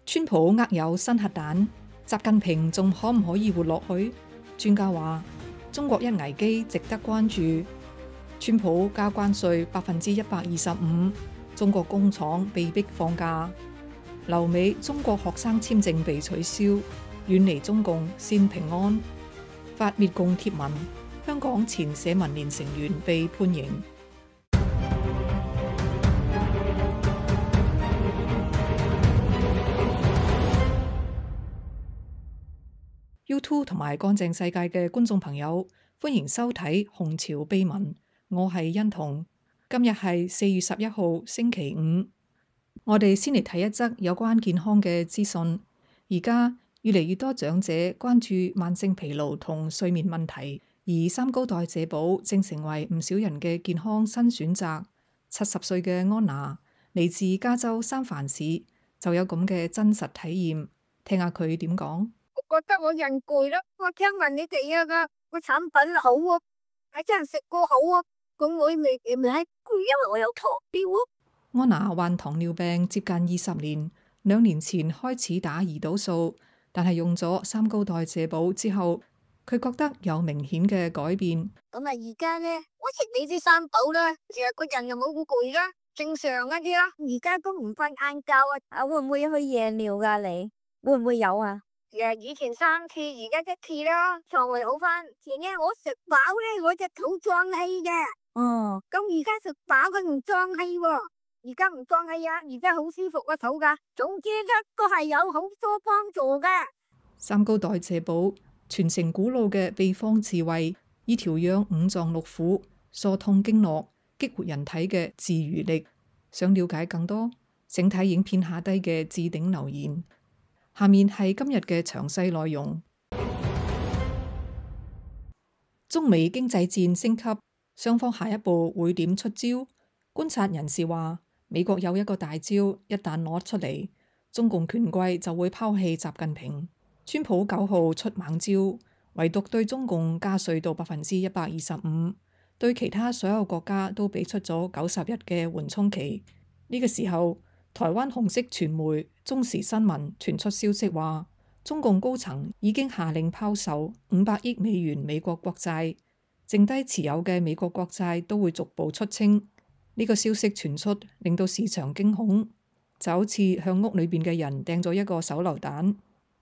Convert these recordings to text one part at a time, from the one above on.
川普握有新核彈，習近平仲可唔可以活落去？專家話中國一危機值得關注。川普加關稅125%，中國工廠被迫放假。留美中國學生簽證被取消，遠離中共先平安。發滅共貼文，香港前社民連成員被判刑。YouTube 同埋乾淨世界嘅觀眾朋友，歡迎收睇《紅潮秘聞》，我係欣彤。今日係4月11號星期五，我哋先嚟睇一則有關健康嘅資訊。而家越嚟越多長者關注慢性疲勞同睡眠問題，而三高代謝寶正成為唔少人嘅健康新選擇。70歲嘅安娜嚟自加州三藩市，就有咁嘅真實體驗，聽下佢點講。我覺得我人攰咯，我聽聞你哋個產品好啊，係真係食過好啊，咁我未攰，因為我有糖尿啊。安娜患糖尿病接近20年，2年前開始打胰島素，但係用咗三高代謝寶之後，佢覺得有明顯嘅改變。咁啊，而家呢，我食你啲三寶啦，其實個人又冇好攰啦，正常一啲啦。而家都唔瞓晏覺啊，會唔會去夜尿噶？你會唔會有啊？以前3次，而家1次啦，腸胃好翻。前呢我食飽咧，我隻肚脹氣嘅。哦，咁而家食飽佢唔脹氣喎，而家唔脹氣啊，而家好舒服個肚噶。總之咧都係有好多幫助嘅。三高代謝寶傳承古老嘅秘方智慧，以調養五臟六腑、疏通經絡、激活人體嘅自愈力。想了解更多，請睇影片下低嘅置頂留言。下面係今日嘅詳細內容。中美經濟戰升級，雙方下一步會點出招？觀察人士話，美國有一個大招，一旦攞出嚟，中共權貴就會拋棄習近平。川普9號出猛招，唯獨對中共加稅到125%，對其他所有國家都俾出咗90日嘅緩衝期。呢個時候，台灣紅色傳媒中時新聞傳出消息話，中共高層已經下令拋售500億美元美國國債，剩低持有嘅美國國債都會逐步出清。呢個消息傳出，令到市場驚恐，就好似向屋裏邊嘅人掟咗一個手榴彈。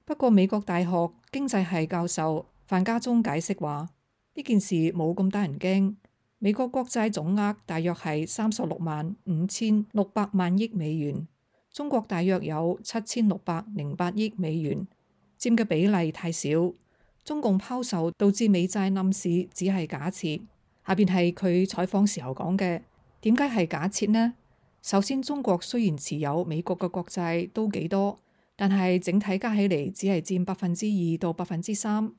不過美國大學經濟系教授范家忠解釋話，呢件事冇咁得人驚。美國國債總額大約係365600萬億美元，中國大約有7608億美元，佔嘅比例太少。中共拋售導致美債冧市只係假設。下邊係佢採訪時候講嘅，點解係假設呢？首先，中國雖然持有美國嘅國債都幾多，但係整體加起嚟只係佔2%到3%。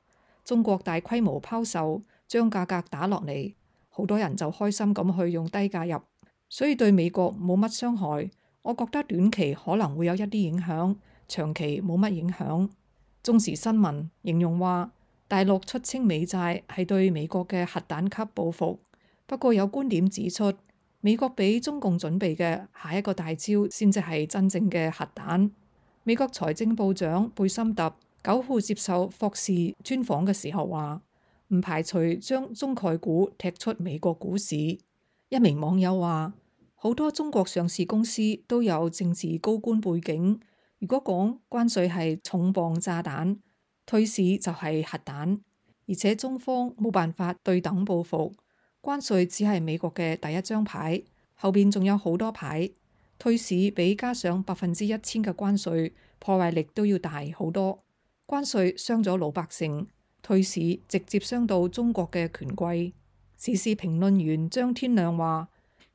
中國大規模拋售將價格打落嚟，好多人就開心咁去用低價入，所以對美國冇乜傷害。我覺得短期可能會有一啲影響，長期冇乜影響。中時新聞形容話，大陸出清美債係對美國嘅核彈級報復。不過有觀點指出，美國俾中共準備嘅下一個大招先至係真正嘅核彈。美國財政部長貝森特9號接受霍士專訪嘅時候話，唔排除將中概股踢出美國股市。一名網友話，好多中國上市公司都有政治高官背景，如果講關稅係重磅炸彈，退市就係核彈，而且中方冇辦法對等報復，關稅只係美國嘅第一張牌，後邊仲有好多牌，退市比加上1000%嘅關稅破壞力都要大好多。關稅傷咗老百姓，退市直接傷到中國嘅權貴。時事評論員張天亮話，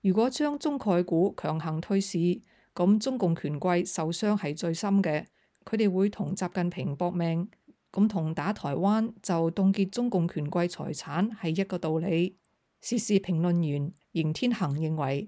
如果將中概股強行退市，咁中共權貴受傷係最深嘅，佢哋會同習近平搏命，咁同打台灣就凍結中共權貴財產係一個道理。時事評論員邢天恒認為，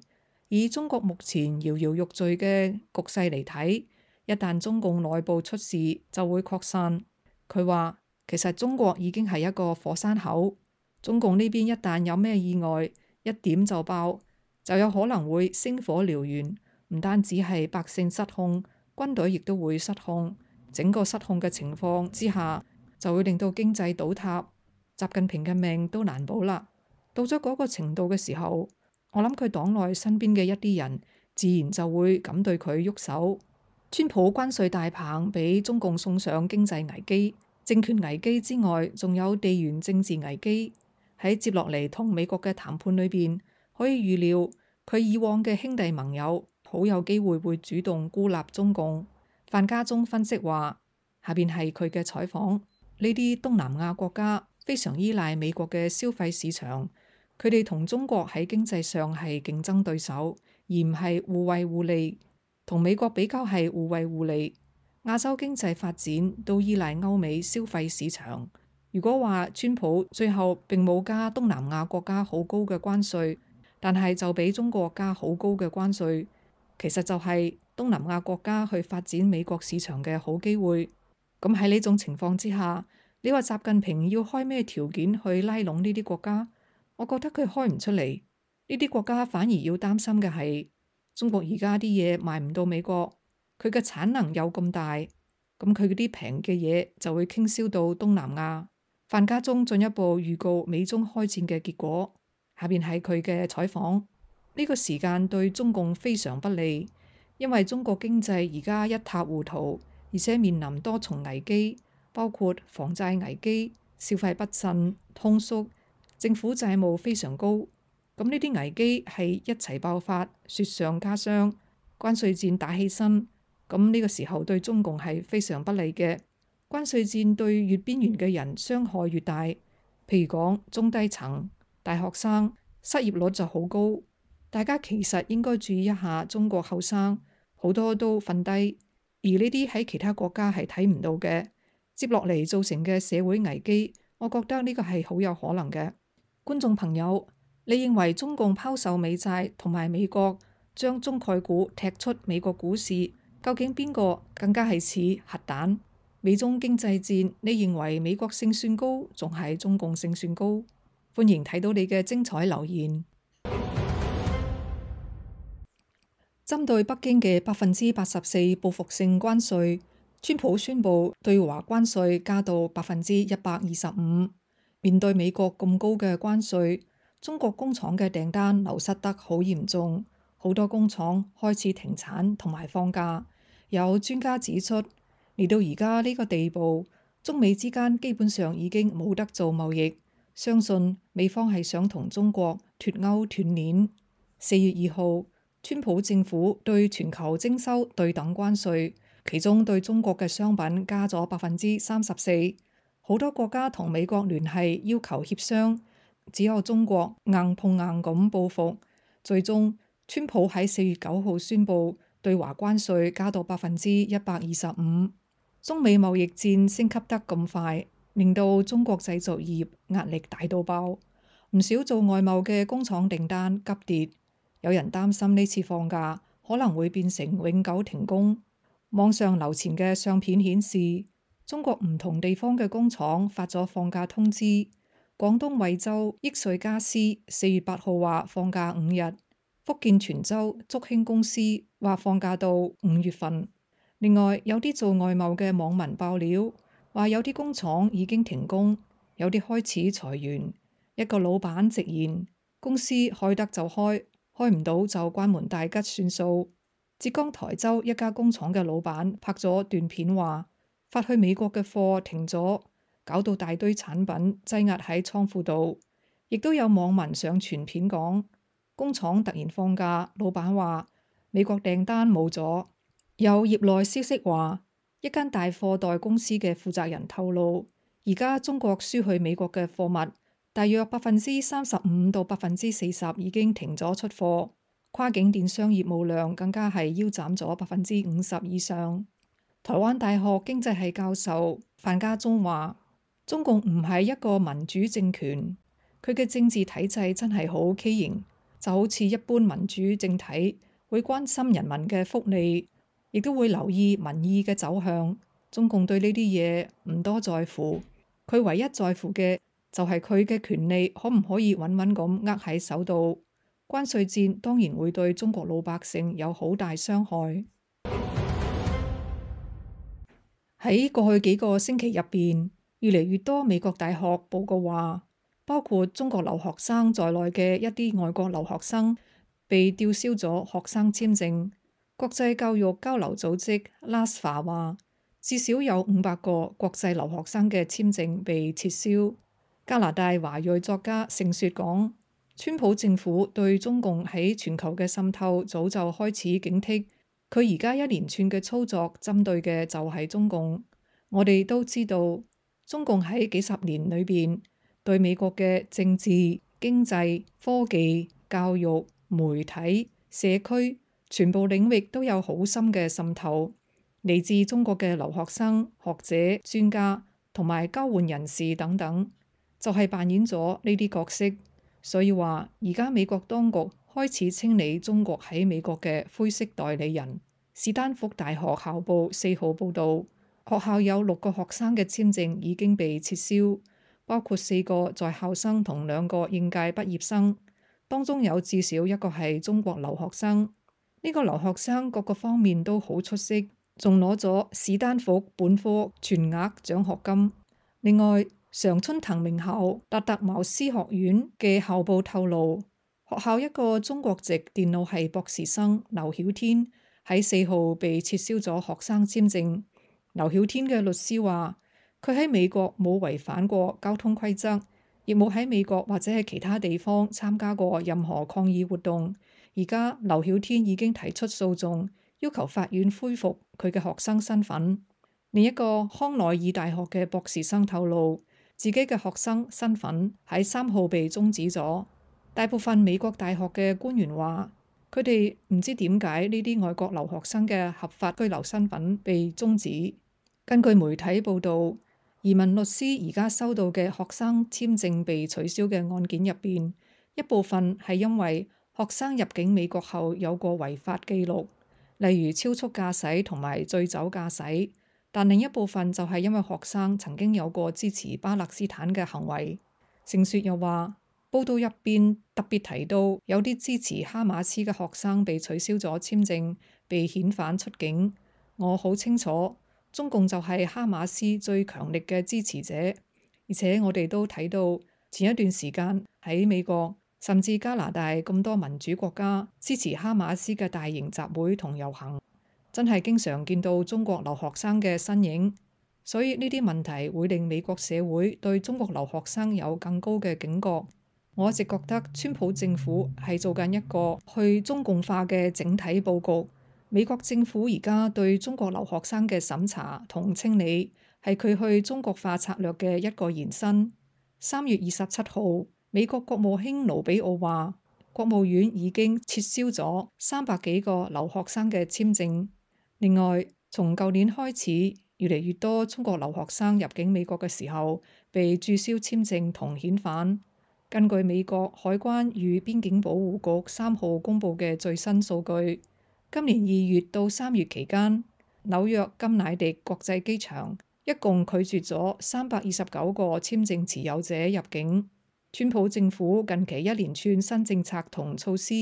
以中國目前搖搖欲墜嘅局勢嚟睇，一旦中共內部出事就會擴散。佢話其實中國已經係一個火山口，中共呢邊一旦有咩意外，一點就爆，就有可能會星火燎原，唔單止係百姓失控，軍隊亦都會失控。整個失控嘅情況之下，就會令到經濟倒塌，習近平嘅命都難保啦。到咗嗰個程度嘅時候，我諗佢黨內身邊嘅一啲人自然就會咁對佢喐手。川普關稅大棒俾中共送上經濟危機、政權危機之外，仲有地緣政治危機。喺接落嚟同美國嘅談判裏邊，可以預料佢以往嘅兄弟盟友好有機會會主動孤立中共。范家忠分析話，下邊係佢嘅採訪，呢啲東南亞國家非常依賴美國嘅消費市場，佢哋同中國喺經濟上係競爭對手，而唔係互惠互利。同美國比較係互惠互利。亞洲經濟發展都依賴歐美消費市場。如果話川普最後並冇加東南亞國家好高嘅關稅，但係就俾中國加好高嘅關稅，其實就係東南亞國家去發展美國市場嘅好機會。咁喺呢種情況之下，你話習近平要開咩條件去拉攏呢啲國家？我覺得佢開唔出嚟。呢啲國家反而要擔心嘅係，中國而家啲嘢賣唔到美國，佢嘅產能又咁大，咁佢嗰啲平嘅嘢就會傾銷到東南亞。范家忠進一步預告美中開戰嘅結果，下邊係佢嘅採訪。呢個時間對中共非常不利，因為中國經濟而家一塌糊塗，而且面臨多重危機，包括房債危機、消費不振、通縮、政府債務非常高。咁呢啲危機係一齊爆發，雪上加霜，關稅戰打起身，咁呢個時候對中共係非常不利嘅。關稅戰對越邊緣嘅人傷害越大，譬如講中低層、大學生失業率就好高。大家其實應該注意一下中國後生，好多都瞓低，而呢啲喺其他國家係睇唔到嘅。接落嚟造成嘅社會危機，我覺得呢個係好有可能嘅。觀眾朋友，你認為中共拋售美債同埋美國將中概股踢出美國股市，究竟邊個更加係似核彈？美中經濟戰，你認為美國勝算高，仲係中共勝算高？歡迎睇到你嘅精彩留言。針對北京嘅84%報復性關稅，川普宣布對華關稅加到125%。面對美國咁高嘅關稅，中國工廠嘅訂單流失得好嚴重，好多工廠開始停產同埋放假。有專家指出，嚟到而家呢個地步，中美之間基本上已經冇得做貿易。相信美方係想同中國脫鈎斷鏈。4月2號，川普政府對全球徵收對等關稅，其中對中國嘅商品加咗34%。好多國家同美國聯繫要求協商，只有中國硬碰硬咁報復。最終，川普喺4月9號宣布對華關稅加到125%。中美貿易戰升級得咁快，令到中國製造業壓力大到爆，唔少做外貿嘅工廠訂單急跌。有人擔心呢次放假可能會變成永久停工。網上流傳嘅相片顯示，中國唔同地方嘅工廠發咗放假通知。廣東惠州益穗家私4月8號話放假5日，福建泉州竹興公司話放假到5月份。另外有啲做外貿嘅網民爆料，話有啲工廠已經停工，有啲開始裁員。一個老闆直言，公司開得就開，開唔到就關門大吉算數。浙江台州一家工廠嘅老闆拍咗段片話，發去美國嘅貨停咗，搞到大堆產品擠壓喺倉庫度。亦都有網民上傳片講，工廠突然放假，老闆話美國訂單冇咗。有業內消息話，一間大貨代公司嘅負責人透露，而家中國輸去美國嘅貨物大約35%到40%已經停咗出貨，跨境電商業務量更加係腰斬咗50%以上。台灣大學經濟系教授范家忠話，中共唔係一個民主政權，佢嘅政治體制真係好畸形，就好似一般民主政體會關心人民嘅福利，亦都會留意民意嘅走向。中共對呢啲嘢唔多在乎，佢唯一在乎嘅就係佢嘅權利可唔可以穩穩咁握喺手度。關稅戰當然會對中國老百姓有好大傷害。喺過去幾個星期入邊，越嚟越多美國大學報告話，包括中國留學生在內嘅一啲外國留學生被吊銷咗學生簽證。國際教育交流組織 LASFA 話，至少有500個國際留學生嘅簽證被撤銷。加拿大華裔作家盛雪講，川普政府對中共喺全球嘅滲透早就開始警惕，佢而家一連串嘅操作針對嘅就係中共。我哋都知道，中共喺幾十年裏邊對美國嘅政治、經濟、科技、教育、媒體、社區全部領域都有好深嘅滲透。嚟自中國嘅留學生、學者、專家同埋交換人士等等，就係扮演咗呢啲角色。所以話而家美國當局開始清理中國喺美國嘅灰色代理人。史丹福大學校報4號報導，學校有6個學生嘅簽證已經被撤銷，包括4個在校生同2個應屆畢業生，當中有至少1個係中國留學生。呢個留學生各個方面都好出色，仲攞咗史丹福本科全額獎學金。另外，常春藤名校達特茅斯學院嘅校報透露，學校一個中國籍電腦系博士生劉曉天喺4號被撤銷咗學生簽證。劉曉天嘅律師話，佢喺美國冇違反過交通規則，亦冇喺美國或者係其他地方參加過任何抗議活動。而家劉曉天已經提出訴訟，要求法院恢復佢嘅學生身份。另一個康奈爾大學嘅博士生透露，自己嘅學生身份喺3號被終止咗。大部分美國大學嘅官員話，佢哋唔知點解呢啲外國留學生嘅合法居留身份被終止。根據媒體報導，移民律師而家收到嘅學生簽證被取消嘅案件入邊，一部分係因為學生入境美國後有過違法記錄，例如超速駕駛同埋醉酒駕駛，但另一部分就係因為學生曾經有過支持巴勒斯坦嘅行為。盛雪又話，報道入邊特別提到有啲支持哈馬斯嘅學生被取消咗簽證，被遣返出境。我好清楚，中共就係哈馬斯最強力嘅支持者，而且我哋都睇到前一段時間喺美國甚至加拿大咁多民主國家支持哈馬斯嘅大型集會同遊行，真係經常見到中國留學生嘅身影。所以呢啲問題會令美國社會對中國留學生有更高嘅警覺。我一直覺得川普政府係做緊一個去中共化嘅整體佈局。美國政府而家對中國留學生嘅審查同清理係佢去中國化策略嘅一個延伸。3月27號，美國國務卿盧比奧話，國務院已經撤銷咗300幾個留學生嘅簽證。另外，從舊年開始，越嚟越多中國留學生入境美國嘅時候被註銷簽證同遣返。根據美國海關與邊境保護局3號公佈嘅最新數據，今年2月到3月期間，紐約甘迺迪國際機場一共拒絕咗329個簽證持有者入境。川普政府近期一連串新政策同措施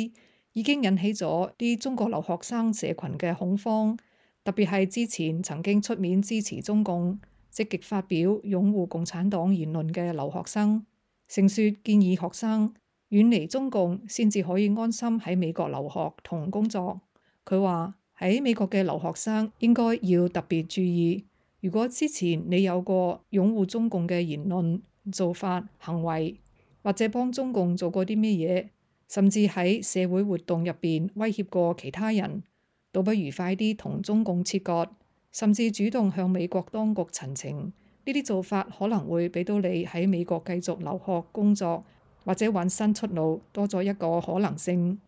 已經引起咗啲中國留學生社群嘅恐慌，特別係之前曾經出面支持中共、積極發表擁護共產黨言論嘅留學生。盛雪建議學生遠離中共，先至可以安心喺美國留學同工作。佢話喺美國嘅留學生應該要特別注意，如果之前你有過擁護中共嘅言論、做法、行為，或者幫中共做過啲咩嘢，甚至喺社會活動入邊威脅過其他人，倒不如快啲同中共切割，甚至主動向美國當局陳情。呢啲做法可能會俾到你喺美國繼續留學工作，或者揾新出路多咗一個可能性。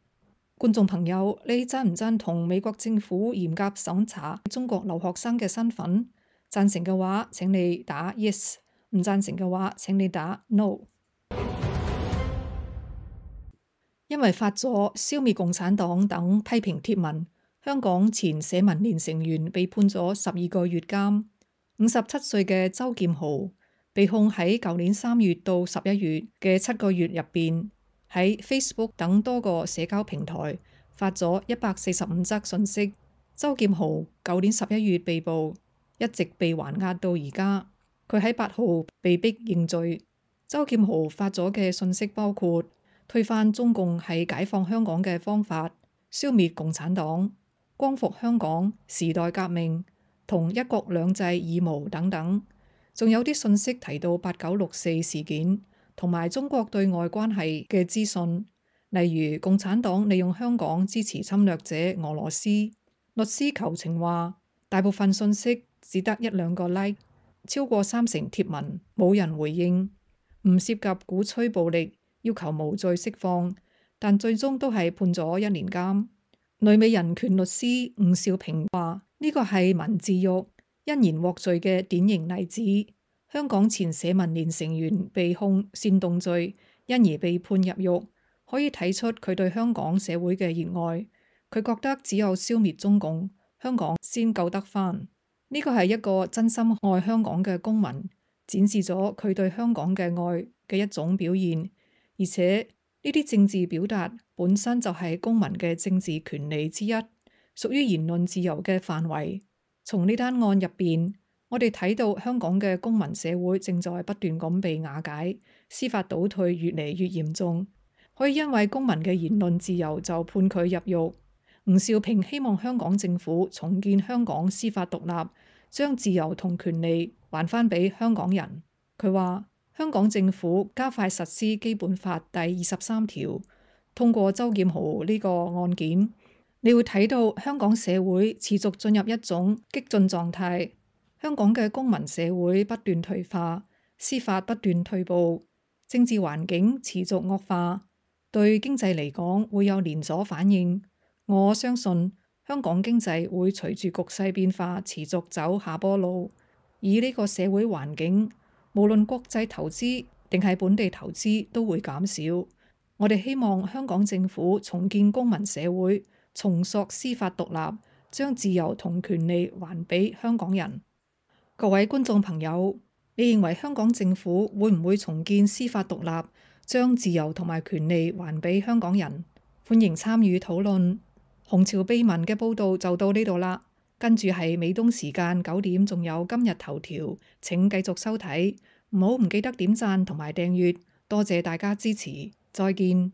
觀眾朋友，你贊唔贊同美國政府嚴格審查中國留學生嘅身份？贊成嘅話請你打 yes， 唔贊成嘅話請你打 no。 因為發咗消滅共產黨等批評貼文，香港前社民連成員被判咗12個月監。57歲嘅周劍豪被控喺舊年3月到11月嘅7個月入邊，喺 Facebook 等多個社交平台發咗145則訊息。周劍豪舊年11月被捕，一直被還押到而家。佢喺8號被逼認罪。周劍豪發咗嘅信息包括推翻中共係解放香港嘅方法、消滅共產黨、光復香港、時代革命同一國兩制義務等等。仲有啲信息提到8964事件同埋中國對外關係嘅資訊，例如共產黨利用香港支持侵略者俄羅斯。律師求情話，大部分信息只得1-2個 like， 超過30貼文冇人回應，唔涉及鼓吹暴力，要求無罪釋放，但最終都係判咗1年監。旅美人權律師伍兆平話：呢個係文字獄，因言獲罪嘅典型例子。香港前社民連成員被控煽動罪，因而被判入獄，可以睇出佢對香港社會嘅熱愛。佢覺得只有消滅中共，香港先救得返。呢個係一個真心愛香港嘅公民，展示咗佢對香港嘅愛嘅一種表現。而且呢啲政治表達本身就係公民嘅政治權利之一，屬於言論自由嘅範圍。從呢單案入邊，我哋睇到香港嘅公民社會正在不斷咁被瓦解，司法倒退越嚟越嚴重。可以因為公民嘅言論自由就判佢入獄。伍兆平希望香港政府重建香港司法獨立，將自由同權利還返俾香港人。佢話香港政府加快實施基本法第23條，通過周劍豪呢個案件，你會睇到香港社會持續進入一種激進狀態。香港嘅公民社會不斷退化，司法不斷退步，政治環境持續惡化，對經濟嚟講會有連鎖反應。我相信香港經濟會隨住局勢變化持續走下坡路。以呢個社會環境，無論國際投資定係本地投資都會減少。我哋希望香港政府重建公民社會，重塑司法獨立，將自由同權利還俾香港人。各位觀眾朋友，你認為香港政府會唔會重建司法獨立，將自由同埋權利還俾香港人？歡迎參與討論。紅潮秘聞嘅報道就到呢度啦，跟住係美東時間9點，仲有今日頭條，請繼續收睇，唔記得點讚同埋訂閱，多謝大家支持，再見。